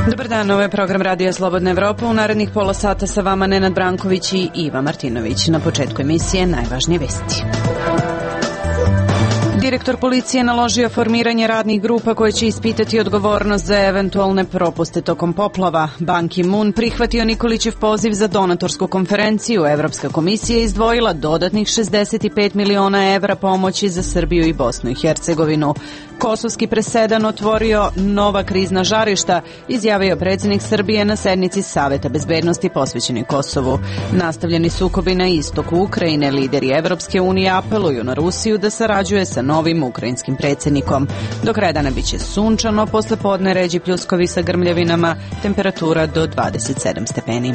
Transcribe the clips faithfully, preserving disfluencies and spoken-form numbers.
Dobar dan, ovo je program Radija Slobodna Evropa. U narednih pola sata sa vama Nenad Branković i Iva Martinović. Na početku emisije najvažnije vesti. Direktor policije naložio formiranje radnih grupa koje će ispitati odgovornost za eventualne propuste tokom poplava. Ban Ki-moon prihvatio Nikolićev poziv za donatorsku konferenciju. Evropska komisija izdvojila dodatnih šezdeset pet miliona evra pomoći za Srbiju i Bosnu i Hercegovinu. Kosovski presedan otvorio nova krizna žarišta, izjavio predsjednik Srbije na sednici Saveta bezbednosti posvećeni Kosovu. Nastavljeni sukobi na istoku Ukrajine, lideri Evropske unije apeluju na Rusiju da sarađuje sa novim ukrajinskim predsjednikom. Do kraja dana biće sunčano, posle podne ređi pljuskovi sa grmljavinama, temperatura do dvadeset sedam stepeni.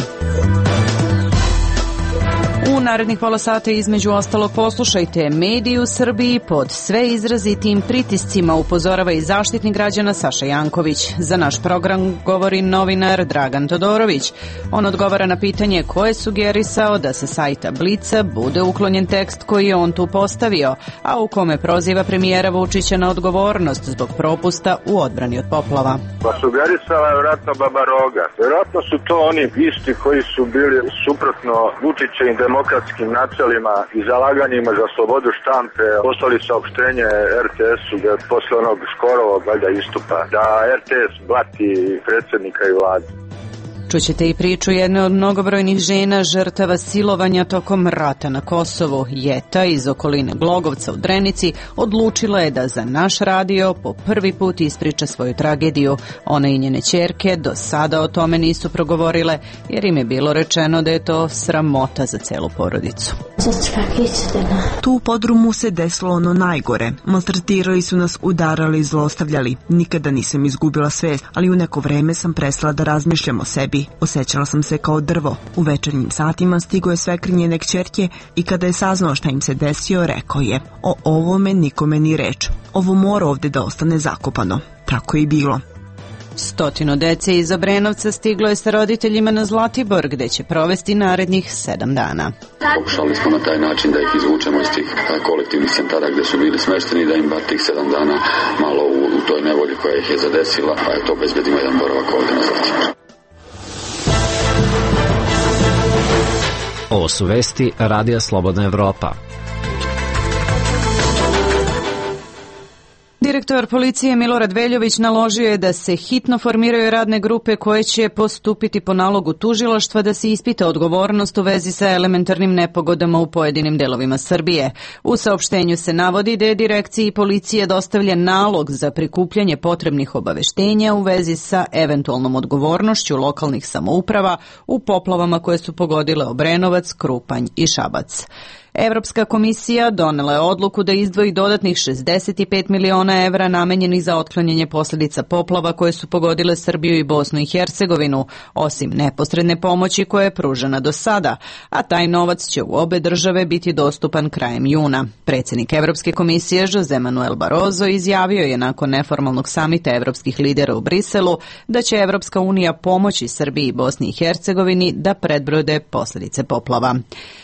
U narednih pola sata između ostalog poslušajte: mediji u Srbiji pod sve izrazitim pritiscima, upozorava i Zaštitnik građana Saša Janković. Za naš program govori novinar Dragan Todorović. On odgovara na pitanje ko je sugerisao da sa sajta Blica bude uklonjen tekst koji je on tu postavio, a u kome proziva premijera Vučića na odgovornost zbog propusta u odbrani od poplava. Pa sugerisala je vjerojatno Baba Roga. Vjerojatno su to oni isti koji su bili suprotno Vučićevim demokratskim načelima i zalaganjima za slobodu štampe poslali saopštenje er te esu da posle onog Škorovog valjda istupa da er te es blati predsjednika i vladu. Čućete i priču jedne od mnogobrojnih žena žrtava silovanja tokom rata na Kosovu. Jeta iz okoline Glogovca u Drenici odlučila je da za naš radio po prvi put ispriča svoju tragediju. Ona i njene ćerke do sada o tome nisu progovorile, jer im je bilo rečeno da je to sramota za celu porodicu. Tu u podrumu se desilo ono najgore. Maltretirali su nas, udarali i zlostavljali. Nikada nisam izgubila svest, ali u neko vreme sam prestala da razmišljam o sebi. Osjećala sam se kao drvo. U večernjim satima stigo je svekr njene kćerke i kada je saznao šta im se desio, rekao je: o ovome nikome ni reč. Ovo mora ovde da ostane zakopano. Tako je i bilo. Stotino dece iz Obrenovca stiglo je sa roditeljima na Zlatibor, gde će provesti narednih sedam dana. Pokušali smo na taj način da ih izvučemo iz tih kolektivnih centara gde su bili smešteni, da im bar tih sedam dana malo u, u toj nevolji koja ih je zadesila, pa je to obezbedimo jedan boravak ovde na Zlatibor. Ovo su vesti Radija Slobodna Evropa. Direktor policije Milorad Veljović naložio je da se hitno formiraju radne grupe koje će postupiti po nalogu tužilaštva da se ispita odgovornost u vezi sa elementarnim nepogodama u pojedinim delovima Srbije. U saopštenju se navodi da je direkciji policije dostavljen nalog za prikupljanje potrebnih obaveštenja u vezi sa eventualnom odgovornošću lokalnih samouprava u poplavama koje su pogodile Obrenovac, Krupanj i Šabac. Evropska komisija donela je odluku da izdvoji dodatnih šezdeset pet miliona evra namenjenih za otklanjanje posljedica poplava koje su pogodile Srbiju i Bosnu i Hercegovinu, osim neposredne pomoći koja je pružena do sada, a taj novac će u obe države biti dostupan krajem juna. Predsjednik Evropske komisije Jose Manuel Barroso izjavio je nakon neformalnog samita evropskih lidera u Briselu da će Evropska unija pomoći Srbiji i Bosni i Hercegovini da predbrode posljedice poplava.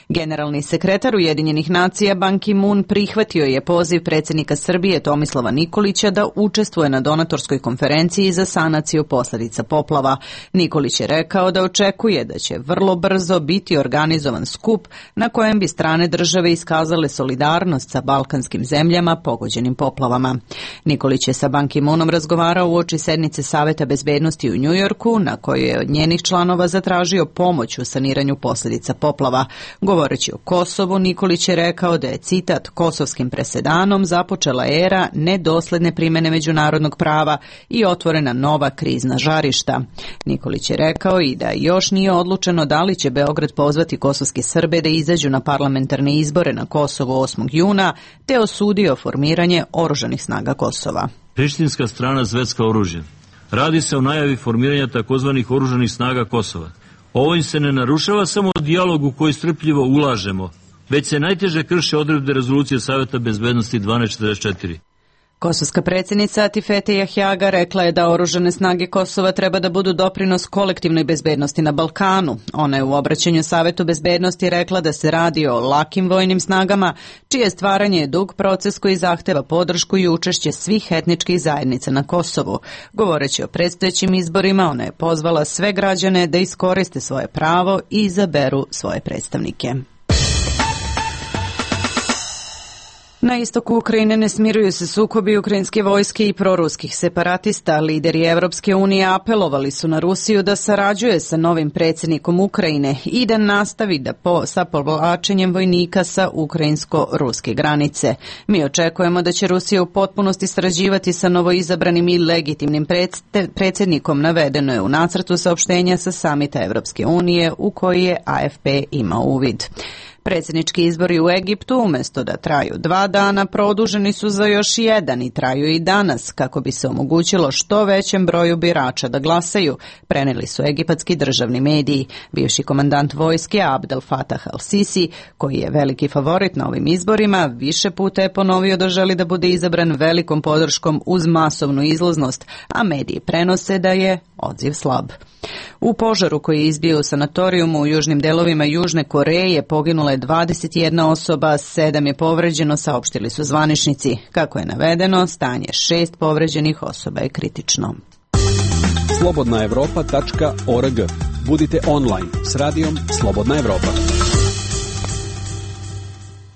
Generalni sekretar Ujedinjenih nacija Ban Ki-moon prihvatio je poziv predsjednika Srbije Tomislava Nikolića da učestvuje na donatorskoj konferenciji za sanaciju posljedica poplava. Nikolić je rekao da očekuje da će vrlo brzo biti organizovan skup na kojem bi strane države iskazale solidarnost sa balkanskim zemljama pogođenim poplavama. Nikolić je sa Ban Ki-moonom razgovarao uoči sednice Saveta bezbednosti u Njujorku, na kojoj je od njenih članova zatražio pomoć u saniranju posljedica poplava. Govoreći o Kosovu, Nikolić je rekao da je, citat, kosovskim presedanom započela era nedosledne primjene međunarodnog prava i otvorena nova krizna žarišta. Nikolić je rekao i da još nije odlučeno da li će Beograd pozvati kosovske Srbe da izađu na parlamentarne izbore na Kosovu osmog juna, te osudio formiranje oružanih snaga Kosova. Prištinska strana zvecka oružje. Radi se o najavi formiranja takozvanih oružanih snaga Kosova. Ovim se ne narušava samo dijalog u koji strpljivo ulažemo, već se najteže krše odredbe rezolucije Saveta bezbednosti dvanaest četrdeset četiri. Kosovska predsjednica Atifete Jahjaga rekla je da oružane snage Kosova treba da budu doprinos kolektivnoj bezbednosti na Balkanu. Ona je u obraćanju Savetu bezbednosti rekla da se radi o lakim vojnim snagama, čije stvaranje je dug proces koji zahteva podršku i učešće svih etničkih zajednica na Kosovu. Govoreći o predstojećim izborima, ona je pozvala sve građane da iskoriste svoje pravo i izaberu svoje predstavnike. Na istoku Ukrajine ne smiruju se sukobi ukrajinske vojske i proruskih separatista. Lideri Evropske unije apelovali su na Rusiju da sarađuje sa novim predsjednikom Ukrajine i da nastavi da po, sa povlačenjem vojnika sa ukrajinsko-ruske granice. Mi očekujemo da će Rusija u potpunosti sarađivati sa novoizabranim i legitimnim predsjednikom, navedeno je u nacrtu saopštenja sa samita Evropske unije u koji je A F P imao uvid. Predsjednički izbori u Egiptu umjesto da traju dva dana produženi su za još jedan i traju i danas kako bi se omogućilo što većem broju birača da glasaju, prenijeli su egipatski državni mediji. Bivši komandant vojske Abdel Fattah al-Sisi, koji je veliki favorit na ovim izborima, više puta je ponovio da želi da bude izabran velikom podrškom uz masovnu izlaznost, a mediji prenose da je odziv slab. U požaru koji je izbio u sanatorijumu u južnim delovima Južne Koreje poginula je dvadeset jedna osoba, sedam je povređeno, saopštili su zvaničnici. Kako je navedeno, stanje šest povređenih osoba je kritično. slobodna evropa tačka org. Budite online s radijom Slobodna Evropa.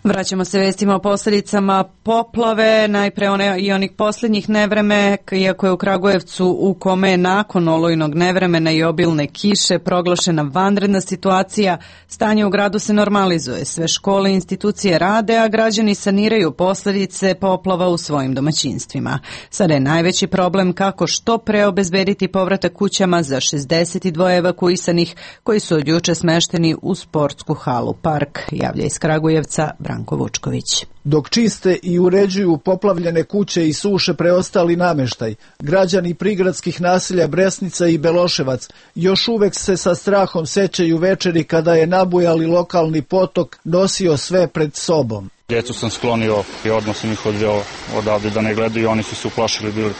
Vraćamo se vestima o posljedicama poplave, najpre one i onih posljednjih nevreme, iako je u Kragujevcu u kome je nakon olujnog nevremena i obilne kiše proglašena vanredna situacija, stanje u gradu se normalizuje. Sve škole i institucije rade, a građani saniraju posljedice poplava u svojim domaćinstvima. Sada je najveći problem kako što pre obezbediti povratak kućama za šezdeset dva evakuisanih koji su od juče smešteni u sportsku halu Park, javlja iz Kragujevca Branko Vučković. Dok čiste i uređuju poplavljene kuće i suše preostali nameštaj, građani prigradskih naselja Bresnica i Beloševac još uvek se sa strahom sećaju večeri kada je nabujali lokalni potok nosio sve pred sobom. Djecu sam sklonio i odmah sam ih odveo odavde da ne gledaju, oni su se uplašili bili.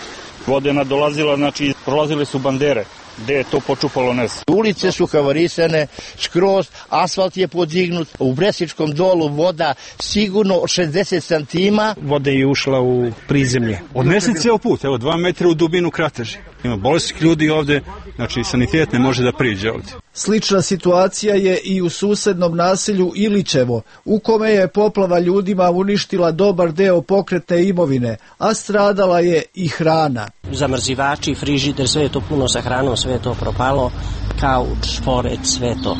Voda je nadolazila, znači prolazile su bandere. Gde je to počupalo nes? Ulice su havarisane, skroz, asfalt je podignut, u Bresičkom dolu voda sigurno šezdeset santima. Voda je ušla u prizemlje. Odnesen cijel put, evo dva metra u dubinu krateži. Ima bolesnih ljudi ovde, znači sanitet ne može da priđe ovde. Slična situacija je i u susednom naselju Ilićevo, u kome je poplava ljudima uništila dobar deo pokretne imovine, a stradala je i hrana. Zamrzivači, frižider, sve je to puno sa hranom, sve je to propalo, kauč, šporet, sve to.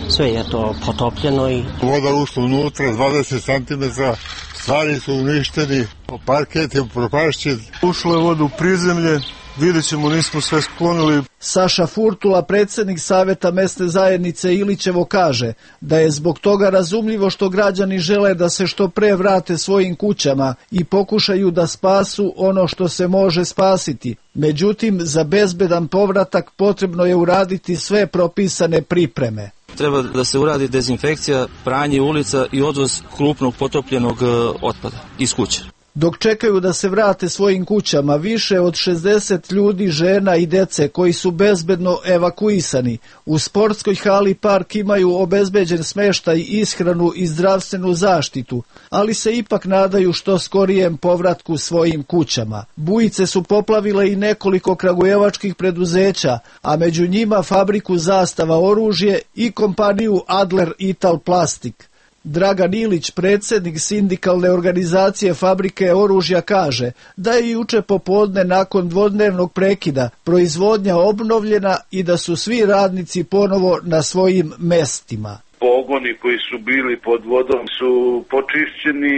Sve je to potopljeno i... Voda ušla unutra, dvadeset santimetara, stvari su uništeni, parket je propašćen. Ušla je voda u prizemlje, vidjet ćemo, nismo sve sklonili. Saša Furtula, predsjednik Saveta mesne zajednice Ilićevo, kaže da je zbog toga razumljivo što građani žele da se što pre vrate svojim kućama i pokušaju da spasu ono što se može spasiti. Međutim, za bezbedan povratak potrebno je uraditi sve propisane pripreme. Treba da se uradi dezinfekcija, pranje ulica i odvoz krupnog potopljenog otpada iz kuće. Dok čekaju da se vrate svojim kućama, više od šezdeset ljudi, žena i dece koji su bezbedno evakuisani u sportskoj hali Park imaju obezbeđen smeštaj, ishranu i zdravstvenu zaštitu, ali se ipak nadaju što skorijem povratku svojim kućama. Bujice su poplavile i nekoliko kragujevačkih preduzeća, a među njima fabriku Zastava oružje i kompaniju Adler Ital Plastik. Dragan Ilić, predsjednik sindikalne organizacije fabrike oružja, kaže da je juče popodne nakon dvodnevnog prekida proizvodnja obnovljena i da su svi radnici ponovo na svojim mestima. Pogoni koji su bili pod vodom su počišćeni,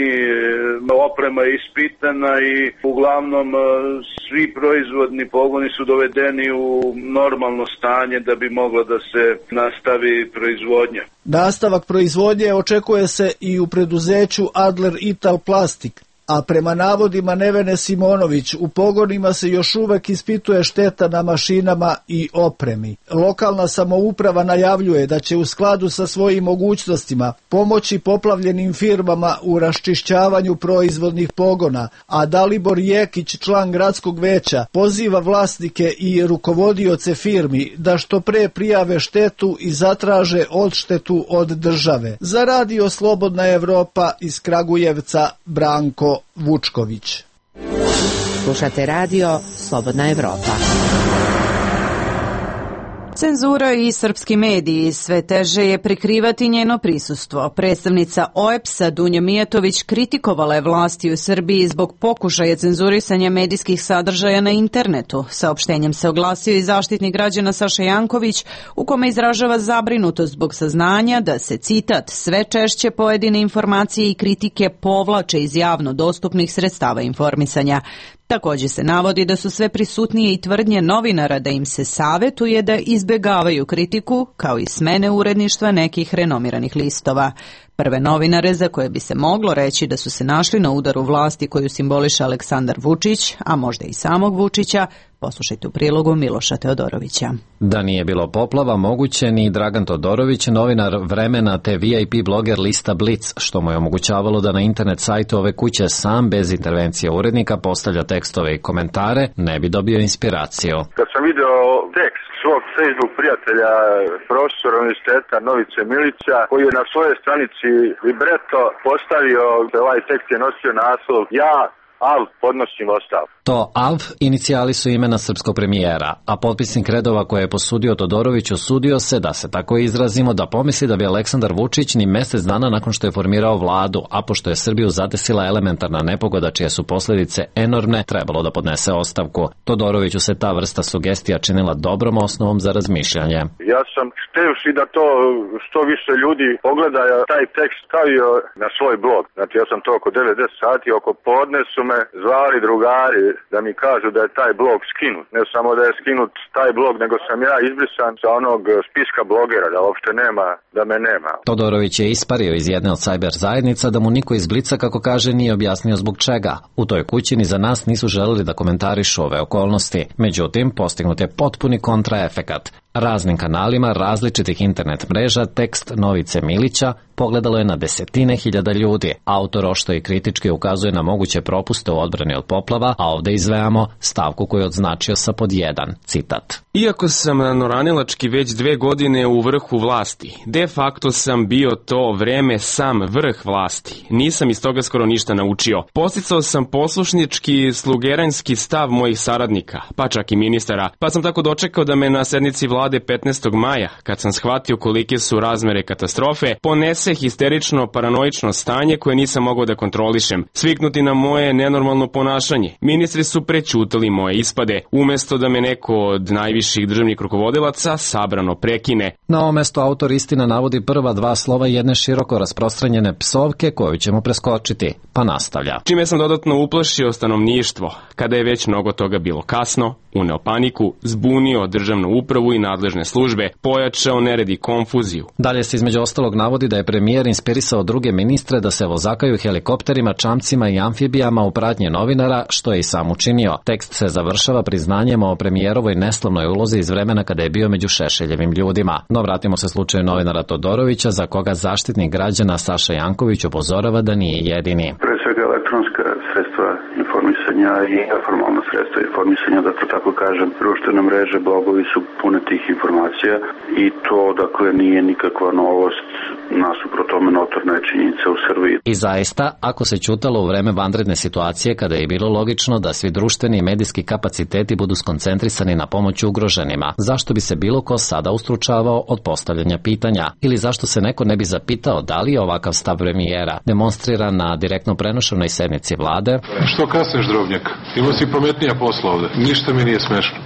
oprema je ispitana i uglavnom svi proizvodni pogoni su dovedeni u normalno stanje da bi mogla da se nastavi proizvodnja. Nastavak proizvodnje očekuje se i u preduzeću Adler Ital Plastik, a prema navodima Nevene Simonović u pogonima se još uvek ispituje šteta na mašinama i opremi. Lokalna samouprava najavljuje da će u skladu sa svojim mogućnostima pomoći poplavljenim firmama u raščišćavanju proizvodnih pogona, a Dalibor Jekić, član gradskog veća, poziva vlasnike i rukovodioce firmi da što pre prijave štetu i zatraže odštetu od države. Za Radio Slobodna Evropa iz Kragujevca, Branko Vučković. Slušate Radio Slobodna Evropa. Cenzura i srpski mediji sve teže je prikrivati njeno prisustvo. Predstavnica O E P S-a Dunja Mijatović kritikovala je vlasti u Srbiji zbog pokušaja cenzurisanja medijskih sadržaja na internetu. Saopštenjem se oglasio i zaštitnik građana Saša Janković, u kome izražava zabrinutost zbog saznanja da se, citat, sve češće pojedine informacije i kritike povlače iz javno dostupnih sredstava informisanja. Također se navodi da su sve prisutnije i tvrdnje novinara da im se savetuje da izbjegavaju kritiku, kao i smene uredništva nekih renomiranih listova. Prve novinare za koje bi se moglo reći da su se našli na udaru vlasti koju simboliše Aleksandar Vučić, a možda i samog Vučića, poslušajte u prilogu Miloša Teodorovića. Da nije bilo poplava, moguće ni Dragan Todorović, novinar Vremena te V I P bloger lista Blic, što mu je omogućavalo da na internet sajtu ove kuće sam, bez intervencije urednika, postavlja tekstove i komentare, ne bi dobio inspiraciju. Kad sam video tekst svog Facebook prijatelja, profesora univerziteta Novice Milića, koji je na svojoj stranici Libreto postavio, ovaj tekst je nosio naslov Ja, Al, podnosim ostavku. To A V inicijali su imena srpskog premijera, a potpisnik redova koje je posudio Todorović osudio se, da se tako izrazimo, da pomisli da bi Aleksandar Vučić ni mesec dana nakon što je formirao vladu, a pošto je Srbiju zadesila elementarna nepogoda čije su posljedice enormne, trebalo da podnese ostavku. Todoroviću se ta vrsta sugestija činila dobrom osnovom za razmišljanje. Ja sam htevši da to što više ljudi pogleda taj tekst stavio na svoj blog. Znači ja sam to oko devet deset sati, oko podne su me zvali drugari da mi kažu da je taj blog skinut. Ne samo da je skinut taj blog, nego sam ja izbrisan sa onog spiska blogera, da uopšte nema, da me nema. Todorović je ispario iz jedne od sajber zajednica da mu niko iz Blica, kako kaže, nije objasnio zbog čega. U toj kući ni za nas nisu želeli da komentarišu ove okolnosti. Međutim, postignut je potpuni kontraefekat. Raznim kanalima različitih internet mreža tekst Novice Milića pogledalo je na desetine hiljada ljudi. Autor ošto i kritički ukazuje na moguće propuste u odbrani od poplava, a ovde izvejamo stavku koju je odznačio sa pod jedan, citat. Iako sam noranilački već dve godine u vrhu vlasti, de facto sam bio to vreme sam vrh vlasti. Nisam iz toga skoro ništa naučio. Posticao sam poslušnički slugeranski stav mojih saradnika, pa čak i ministara, pa sam tako dočekao da me na sednici vlade petnaestog maja, kad sam shvatio kolike su razmere katastrofe, ponese histerično paranoično stanje koje nisam mogao da kontrolišem, sviknuti na moje nenormalno ponašanje. Ministri su prećutali moje ispade, umesto da me neko od najviših državnih rukovodilaca sabrano prekine. Na ovo mesto autor istina navodi prva dva slova jedne široko rasprostranjene psovke koju ćemo preskočiti, pa nastavlja. Čime sam dodatno uplašio stanovništvo, kada je već mnogo toga bilo kasno, uneo paniku, zbunio državnu upravu i nadležne službe, pojačao nered i konfuziju. Dalje se između ostalog navodi da je premijer inspirisao druge ministre da se vozakaju helikopterima, čamcima i amfibijama u pratnje novinara, što je i sam učinio. Tekst se završava priznanjem o premijerovoj neslavnoj ulozi iz vremena kada je bio među Šešeljevim ljudima. No vratimo se slučaju novinara Todorovića, za koga zaštitnik građana Saša Janković upozorava da nije jedini. Pre svega elektronska sredstva informisanja i neformalna sredstva informisanja, da to tako kažem, društvene mreže, blogovi su pune tih informacija i to, dakle, nije nikakva novost, nasuprot tome notorna je činjenica u Srbiji. I zaista, ako se ćutalo u vreme vanredne situacije, kada je bilo logično da svi društveni i medijski kapaciteti budu skoncentrisani na pomoć ugroženima, zašto bi se bilo ko sada ustručavao od postavljanja pitanja? Ili zašto se neko ne bi zapitao da li je ovakav stav premijera demonstriran na direktno prenošenoj sednici vlade? Što kasneš, drobnjak? Imao si pametnija posla ovde. Ništa mi nije smešno.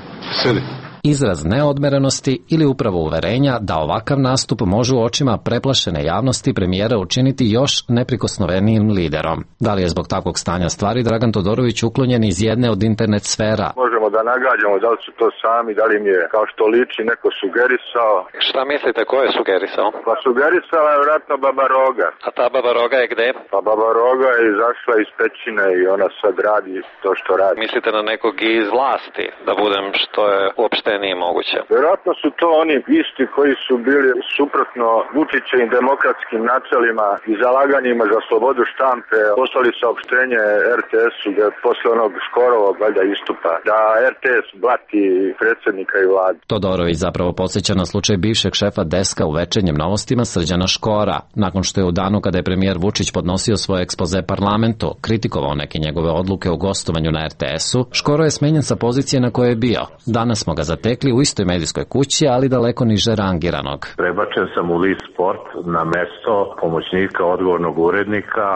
Sedi. Izraz neodmerenosti ili upravo uverenja da ovakav nastup može u očima preplašene javnosti premijera učiniti još neprikosnovenijim liderom. Da li je zbog takvog stanja stvari Dragan Todorović uklonjen iz jedne od internet sfera? Možemo možemo da nagađamo da li su to sami, da li im je, kao što liči, neko sugerisao. Šta mislite, ko je sugerisao? Pa sugerisala je vjerojatno Baba Roga. A ta Baba Roga je gde? Pa Baba Roga je izašla iz pećine i ona sad radi to što radi. Mislite na nekog iz vlasti, da budem što je uopšte nije moguće? Vjerojatno su to oni isti koji su bili suprotno Vučićevim demokratskim načelima i zalaganjima za slobodu štampe. Poslali saopštenje er te esu da posle onog Škorovog valjda istupa, da er te es blati predsjednika i vladu. Todorović zapravo podsjeća na slučaj bivšeg šefa deska u Večernjim novostima Srđana Škora. Nakon što je u danu kada je premijer Vučić podnosio svoje ekspoze parlamentu, kritikovao neke njegove odluke u gostovanju na er te esu, Škoro je smenjen sa pozicije na kojoj je bio. Danas smo ga zatekli u istoj medijskoj kući, ali daleko niže rangiranog. Prebačen sam u list sport na mesto pomoćnika odgovornog urednika,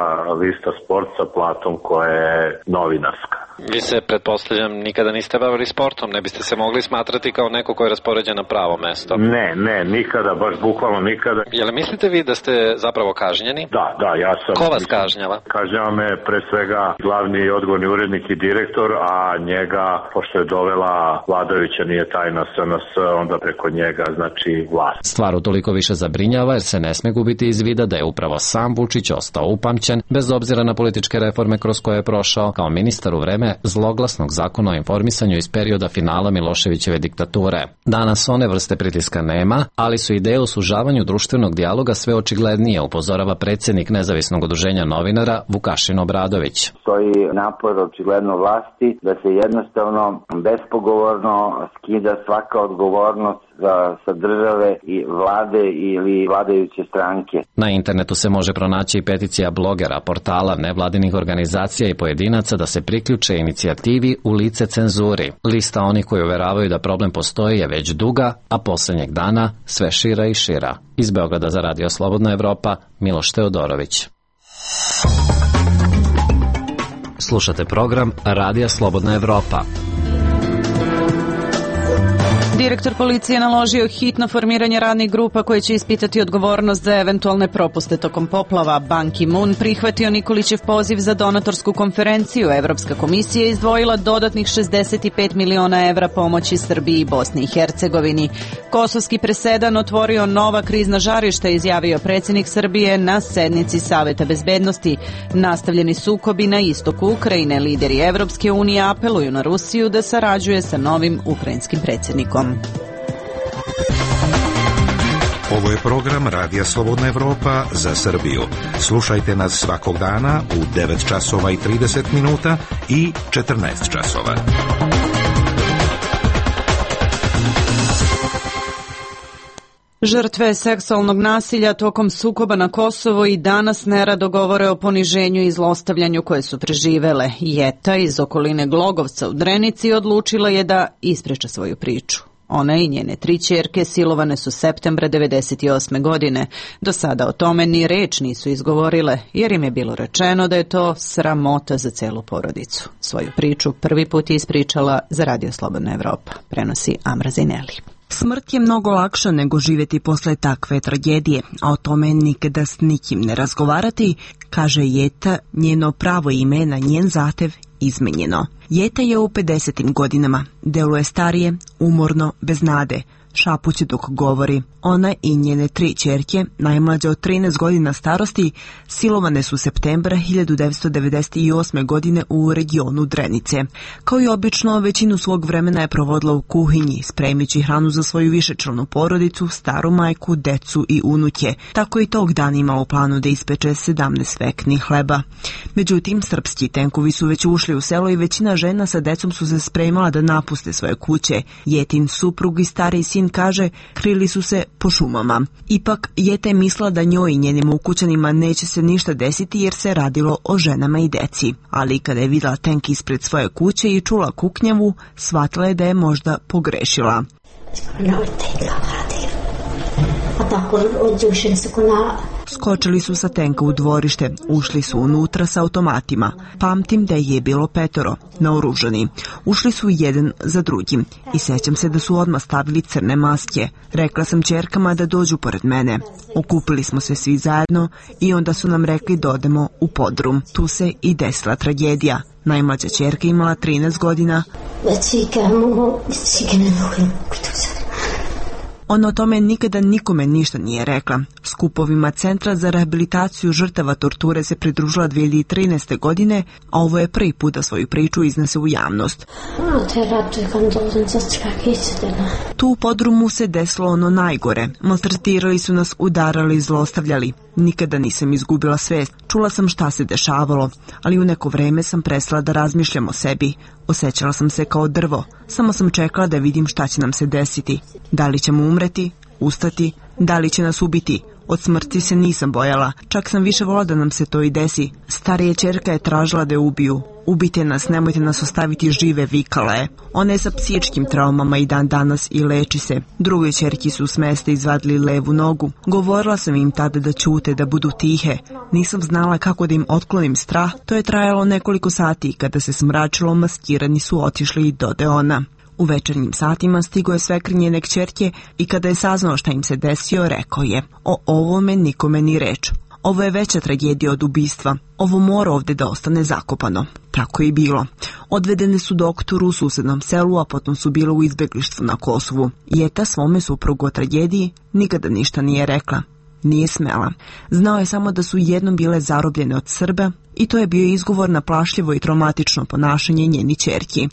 lista sport sa platom koja je novinarska. Vi se, pretpostavljam, nikada niste bavili sportom, ne biste se mogli smatrati kao neko ko je raspoređen na pravo mesto? Ne, ne, nikada, baš bukvalno nikada. Jel mislite vi da ste zapravo kažnjeni? Da, da, ja sam. Ko vas kažnjava? Kažnjava me pre svega glavni odgovorni urednik i direktor, a njega, pošto je dovela vladajuća, nije tajna es en es, onda preko njega, znači vlast. Stvar utoliko više zabrinjava jer se ne sme gubiti iz vida da je upravo sam Vučić ostao upamćen, bez obzira na političke reforme kroz koje je prošao, kao ministar u vreme zloglasnog zakona o informisanju iz perioda finala Miloševićeve diktature. Danas one vrste pritiska nema, ali su ideje o sužavanju društvenog dijaloga sve očiglednije, upozorava predsjednik nezavisnog udruženja novinara Vukašin Obradović. Stoji napor očigledno vlasti da se jednostavno bespogovorno skida svaka odgovornost za, sa države i vlade ili vladajuće stranke. Na internetu se može pronaći i peticija blogera, portala, nevladinih organizacija i pojedinaca da se priključe inicijativi U lice cenzuri. Lista onih koji uveravaju da problem postoji je već duga, a posljednjeg dana sve šira i šira. Iz Beograda za Radio Slobodna Evropa, Miloš Teodorović. Slušate program Radija Slobodna Evropa. Direktor policije naložio hitno formiranje radnih grupa koje će ispitati odgovornost za eventualne propuste tokom poplava. Ban Ki-moon prihvatio Nikolićev poziv za donatorsku konferenciju. Evropska komisija je izdvojila dodatnih šezdeset pet miliona evra pomoći Srbiji i Bosni i Hercegovini. Kosovski presedan otvorio nova krizna žarišta, izjavio predsjednik Srbije na sednici Saveta bezbednosti. Nastavljeni sukobi na istoku Ukrajine. Lideri Evropske unije apeluju na Rusiju da sarađuje sa novim ukrajinskim predsjednikom. Ovo je program Radija Slobodna Evropa za Srbiju. Slušajte nas svakog dana u devet časova i trideset minuta i četrnaest časova. Žrtve seksualnog nasilja tokom sukoba na Kosovo i danas nerado govore o poniženju i zlostavljanju koje su preživele. Jeta iz okoline Glogovca u Drenici odlučila je da ispriča svoju priču. Ona i njene tri ćerke silovane su septembra devedeset osme godine. Do sada o tome ni reč nisu izgovorile, jer im je bilo rečeno da je to sramota za celu porodicu. Svoju priču prvi put je ispričala za Radio Slobodna Evropa. Prenosi Amra Zineli. Smrt je mnogo lakša nego živjeti posle takve tragedije, a o tome nikada s nikim ne razgovarati, kaže Jeta, njeno pravo ime na njen zahtev izmenjeno. Jeta je u pedesetim godinama, deluje starije, umorno, bez nade, šapuće dok govori. Ona i njene tri ćerke, najmlađe od trinaest godina starosti, silovane su septembra hiljadu devetsto devedeset osme godine u regionu Drenice. Kao i obično, većinu svog vremena je provodila u kuhinji, spremići hranu za svoju višečlanu porodicu, staru majku, decu i unuke. Tako i tog dana ima u planu da ispeče sedamnaest veknih hleba. Međutim, srpski tenkovi su već ušli u selo i većina žena sa decom su se spremala da napuste svoje kuće. Jetin suprug i stari sin kaže, krili su se po šumama. Ipak, Jeta je mislila da njoj i njenim ukućanima neće se ništa desiti jer se radilo o ženama i deci. Ali kada je vidjela tenk ispred svoje kuće i čula kuknjavu, shvatila je da je možda Skočili su sa tenka u dvorište, ušli su unutra sa automatima. Pamtim da je bilo petoro, naoružani. Ušli su jedan za drugim i sećam se da su odmah stavili crne maske. Rekla sam ćerkama da dođu pored mene. Okupili smo se svi zajedno i onda su nam rekli da odemo u podrum. Tu se i desila tragedija. Najmlađa ćerka imala trinaest godina. Ona o tome nikada nikome ništa nije rekla. Skupovima Centra za rehabilitaciju žrtava torture se pridružila dve hiljade trinaeste. godine, a ovo je prvi put da svoju priču iznese u javnost. Tu u podrumu se desilo ono najgore. Maltretirali su nas, udarali i zlostavljali. Nikada nisam izgubila svest. Čula sam šta se dešavalo, ali u neko vreme sam prestala da razmišljam o sebi. Osjećala sam se kao drvo. Samo sam čekala da vidim šta će nam se desiti. Da li ćemo umreti, ustati, da li će nas ubiti. Od smrti se nisam bojala, čak sam više volila da nam se to i desi. Starija ćerka je tražila da je ubiju. Ubite nas, nemojte nas ostaviti žive, vikala je. Ona je sa psihičkim traumama i dan danas i leči se. Drugoj ćerki su s mesta izvadili levu nogu. Govorila sam im tada da ćute, da budu tihe. Nisam znala kako da im otklonim strah. To je trajalo nekoliko sati. Kada se smračilo, maskirani su otišli i dode ona. U večernjim satima stigo je svekr njene kćerke i kada je saznao šta im se desio, rekao je: o ovome nikome ni reč. Ovo je veća tragedija od ubistva. Ovo mora ovde da ostane zakopano. Tako je i bilo. Odvedene su doktoru u susednom selu, a potom su bile u izbeglištvu na Kosovu. Jeta svome suprugu o tragediji nikada ništa nije rekla. Nije smela. Znao je samo da su jednom bile zarobljene od Srba i to je bio izgovor na plašljivo i traumatično ponašanje njeni ćerki.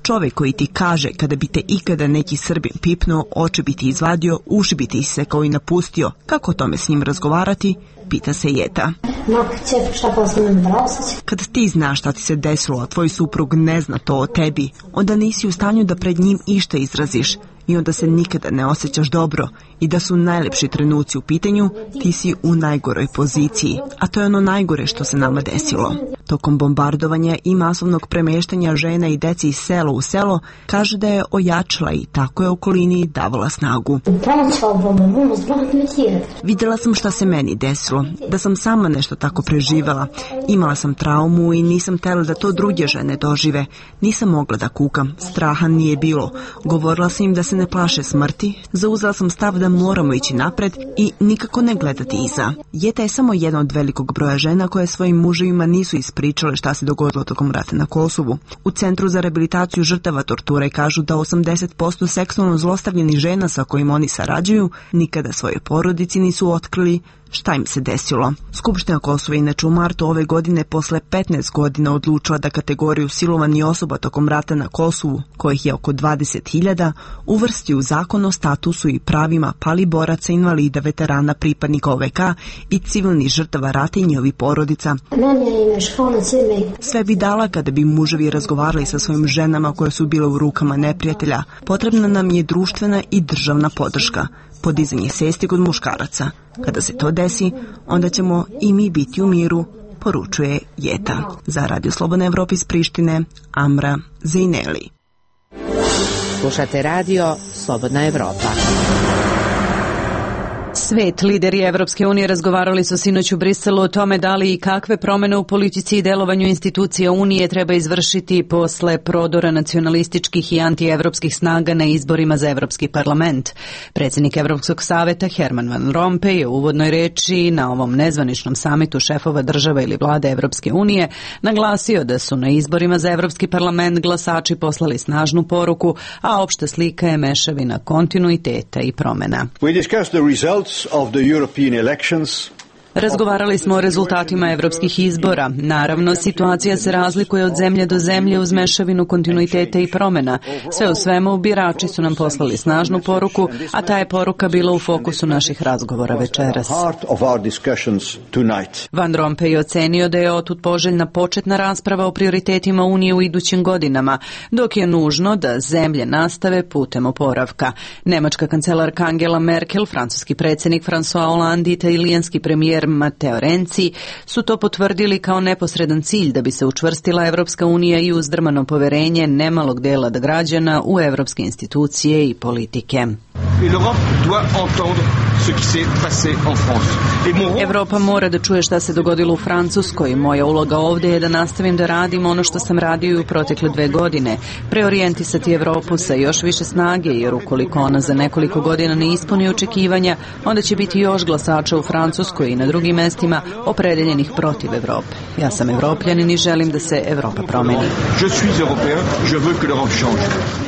Čovjek koji ti kaže kada bi te ikada neki Srbin pipnuo, oči bi ti izvadio, uši bi ti isekao i napustio, kako o tome s njim razgovarati, pita se Jeta. Kad ti znaš šta ti se desilo, a tvoj suprug ne zna to o tebi, onda nisi u stanju da pred njim išta izraziš. I onda se nikada ne osjećaš dobro i da su najlepši trenuci u pitanju, ti si u najgoroj poziciji. A to je ono najgore što se nama desilo. Tokom bombardovanja i masovnog premeštanja žena i deci iz sela u selo, kaže da je ojačala i tako je okolini davala snagu. Vidjela sam šta se meni desilo, da sam sama nešto tako preživela. Imala sam traumu i nisam htjela da to druge žene dožive. Nisam mogla da kukam, straha nije bilo. Govorila sam im da se ne plaše smrti, zauzela sam stav da moramo ići napred i nikako ne gledati iza. Jeta je samo jedna od velikog broja žena koje svojim muževima nisu ispričale šta se dogodilo tokom rata na Kosovu. U Centru za rehabilitaciju žrtava torture kažu da osamdeset posto seksualno zlostavljenih žena sa kojima oni sarađuju nikada svoje porodici nisu otkrili šta im se desilo. Skupština Kosova inače u martu ove godine posle petnaest godina odlučila da kategoriju silovanih osoba tokom rata na Kosovu, kojih je oko dvadeset hiljada, uvrsti u zakon o statusu i pravima pali boraca, invalida, veterana, pripadnika O V K i civilnih žrtava rata i njihovih porodica. Sve bi dala kada bi muževi razgovarali sa svojim ženama koje su bile u rukama neprijatelja. Potrebna nam je društvena i državna podrška. Podizanje svesti kod muškaraca. Kada se to desi, onda ćemo i mi biti u miru, poručuje Jeta. Za Radio Slobodna Evropa iz Prištine, Amra Zejneli. Slušate radio Slobodna Evropa. Svet, lideri Evropske unije razgovarali su sinoć u Briselu o tome da li i kakve promene u politici i delovanju institucija Unije treba izvršiti posle prodora nacionalističkih i antievropskih snaga na izborima za Evropski parlament. Predsjednik Evropskog saveta Herman Van Rompuy je u uvodnoj reči na ovom nezvaničnom samitu šefova država ili vlade Evropske unije naglasio da su na izborima za Evropski parlament glasači poslali snažnu poruku, a opšta slika je mešavina kontinuiteta i promena. We discussed the results of the European elections. Razgovarali smo o rezultatima evropskih izbora. Naravno, situacija se razlikuje od zemlje do zemlje uz mešavinu kontinuiteta i promena. Sve u svemu, birači su nam poslali snažnu poruku, a ta je poruka bila u fokusu naših razgovora večeras. Van Rompuy je ocenio da je otud poželjna početna rasprava o prioritetima Unije u idućim godinama, dok je nužno da zemlje nastave putem oporavka. Nemačka kancelarka Angela Merkel, francuski predsjednik François Hollande i italijanski premijer Matteo Renzi su to potvrdili kao neposredan cilj da bi se učvrstila Evropska unija i uzdrmano poverenje nemalog dela građana u evropske institucije i politike. Evropa mora da čuje šta se dogodilo u Francuskoj. Moja uloga ovdje je da nastavim da radim ono što sam radio i u protekle dve godine. Preorijentisati Evropu sa još više snage, jer ukoliko ona za nekoliko godina ne ispuni očekivanja, onda će biti još glasača u Francuskoj i na drugim mestima opredeljenih protiv Evrope. Ja sam Evropljanin i želim da se Evropa promeni.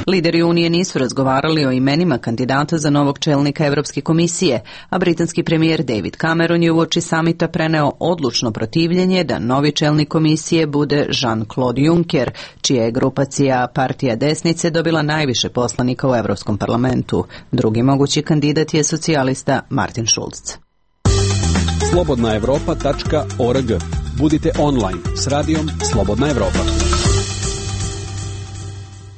Lideri Unije nisu razgovarali o imenima kandidata za novog čelnika Evropske komisije, a britanski premijer David Cameron je uoči samita preneo odlučno protivljenje da novi čelnik komisije bude Jean-Claude Juncker, čija je grupacija Partija desnice dobila najviše poslanika u Evropskom parlamentu. Drugi mogući kandidat je socijalista Martin Schulz. slobodna evropa tačka org. Budite online s radijom Slobodna Evropa.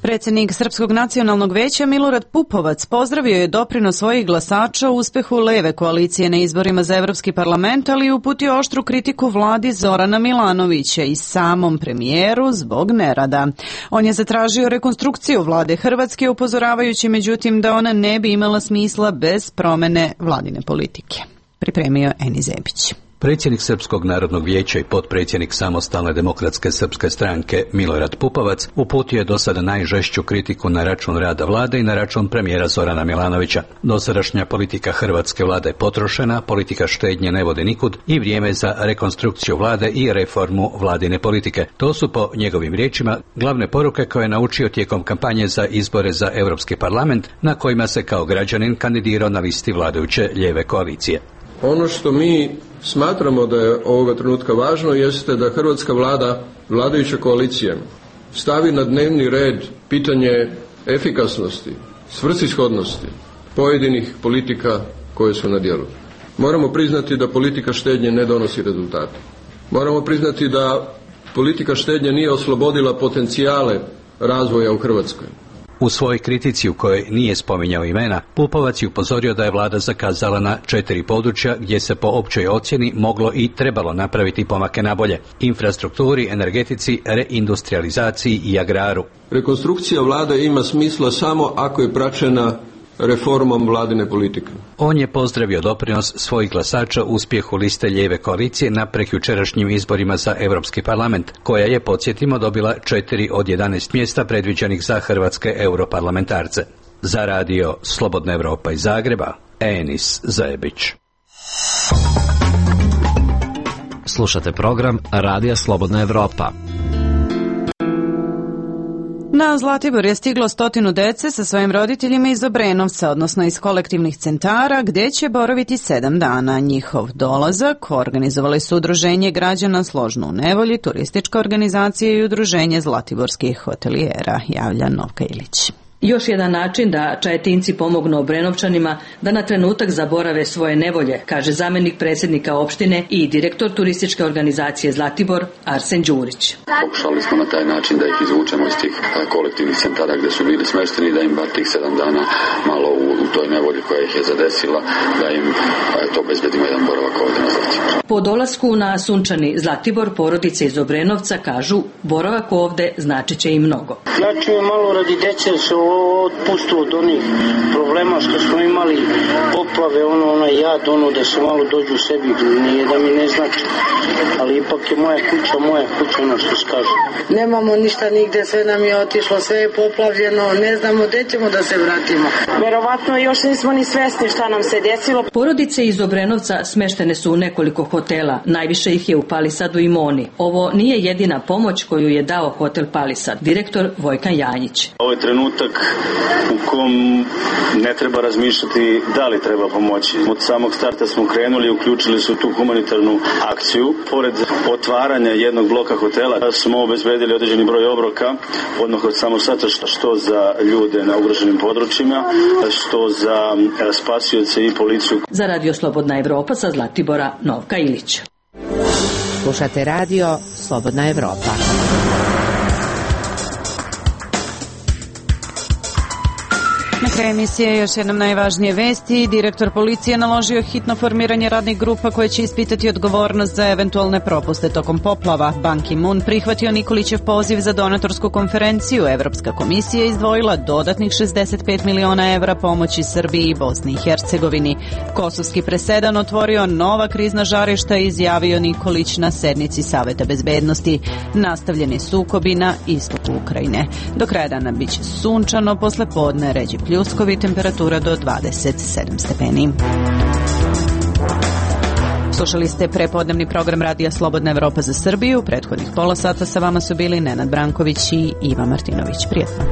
Predsjednik Srpskog nacionalnog veća Milorad Pupovac pozdravio je doprinos svojih glasača u uspehu leve koalicije na izborima za Evropski parlament, ali i uputio oštru kritiku vladi Zorana Milanovića i samom premijeru zbog nerada. On je zatražio rekonstrukciju vlade Hrvatske, upozoravajući međutim da ona ne bi imala smisla bez promene vladine politike. Pripremio Eni Zebić. Predsjednik Srpskog narodnog vijeća i potpredsjednik Samostalne demokratske srpske stranke Milorad Pupovac uputio je do sada najžešću kritiku na račun rada vlade i na račun premijera Zorana Milanovića. Dosadašnja politika hrvatske vlade je potrošena, politika štednje ne vode nikud i vrijeme za rekonstrukciju vlade i reformu vladine politike. To su po njegovim riječima glavne poruke koje je naučio tijekom kampanje za izbore za Europski parlament, na kojima se kao građanin kandidirao na listi vladajuće lijeve koalicije. Ono što mi smatramo da je ovoga trenutka važno jeste da hrvatska vlada, vladajuća koalicija, stavi na dnevni red pitanje efikasnosti, svrsishodnosti pojedinih politika koje su na djelu. Moramo priznati da politika štednje ne donosi rezultate. Moramo priznati da politika štednje nije oslobodila potencijale razvoja u Hrvatskoj. U svojoj kritici u kojoj nije spominjao imena, Pupovac je upozorio da je vlada zakazala na četiri područja gdje se po općoj ocjeni moglo i trebalo napraviti pomake nabolje: infrastrukturi, energetici, reindustrializaciji i agraru. Rekonstrukcija vlade ima smisla samo ako je praćena reformom vladine politike. On je pozdravio doprinos svojih glasača uspjehu liste lijeve koalicije na prekjučerašnjim izborima za Europski parlament, koja je, podsjetimo, dobila četiri od jedanaest mjesta predviđenih za hrvatske europarlamentarce. Za radio Slobodna Evropa iz Zagreba, Enis Zajebić. Slušate program Radija Slobodna Evropa. Na Zlatibor je stiglo stotinu dece sa svojim roditeljima iz Obrenovca, odnosno iz kolektivnih centara, gdje će boraviti sedam dana. Njihov dolazak organizovali su Udruženje građana Složno u nevolji, turistička organizacija i Udruženje zlatiborskih hotelijera, javlja Novka Ilić. Još jedan način da Čajetinci pomognu Obrenovčanima da na trenutak zaborave svoje nevolje, kaže zamjenik predsjednika opštine i direktor turističke organizacije Zlatibor Arsen Đurić. Pokušali smo na taj način da ih izvučemo iz tih kolektivnih centara gdje su bili smješteni, da im bar tih sedam dana malo u, u toj nevolji koja ih je zadesila, da im to bezbedimo jedan boravak ovdje na Zlatibor. Po dolasku na sunčani Zlatibor porodice iz Obrenovca kažu boravak ovdje značit će im mnogo. Ja ću malo radi dece se otpustu od onih problema što smo imali, poplave, ono, onaj jad, ono da se malo dođu u sebi, nije da mi ne znači, ali ipak je moja kuća, moja kuća, ono što se kaže. Nemamo ništa nigde, sve nam je otišlo, sve je poplavljeno, ne znamo gde ćemo da se vratimo. Verovatno još nismo ni svesni šta nam se desilo. Porodice iz Obrenovca smeštene su u nekoliko hotela, najviše ih je u Palisadu i Moni. Ovo nije jedina pomoć koju je dao hotel Palisad, direktor Vojkan Janjić. Ovo je trenutak u kom ne treba razmišljati da li treba pomoći. Od samog starta smo krenuli i uključili su tu humanitarnu akciju. Pored otvaranja jednog bloka hotela smo obezbedili određeni broj obroka, odmah od samog starta, što za ljude na ugroženim područjima, što za spasioce i policiju. Za Radio Slobodna Evropa sa Zlatibora Novka Ilić. Slušate radio Slobodna Evropa. Na kraju emisije još jednom najvažnije vesti. Direktor policije naložio hitno formiranje radnih grupa koje će ispitati odgovornost za eventualne propuste tokom poplava. Ban Ki-moon prihvatio Nikolićev poziv za donatorsku konferenciju. Evropska komisija izdvojila dodatnih šezdeset pet miliona evra pomoći Srbiji i Bosni i Hercegovini. Kosovski presedan otvorio nova krizna žarišta i izjavio Nikolić na sednici Saveta bezbednosti. Nastavljeni sukobi na istoku Ukrajine. Do kraja dana biće sunčano, posle podne ređi pljuskovi, temperatura do dvadeset sedam stepeni. Slušali ste prepodnevni program Radija Slobodna Evropa za Srbiju. Prethodnih pola sata sa vama su bili Nenad Branković i Iva Martinović. Prijetno.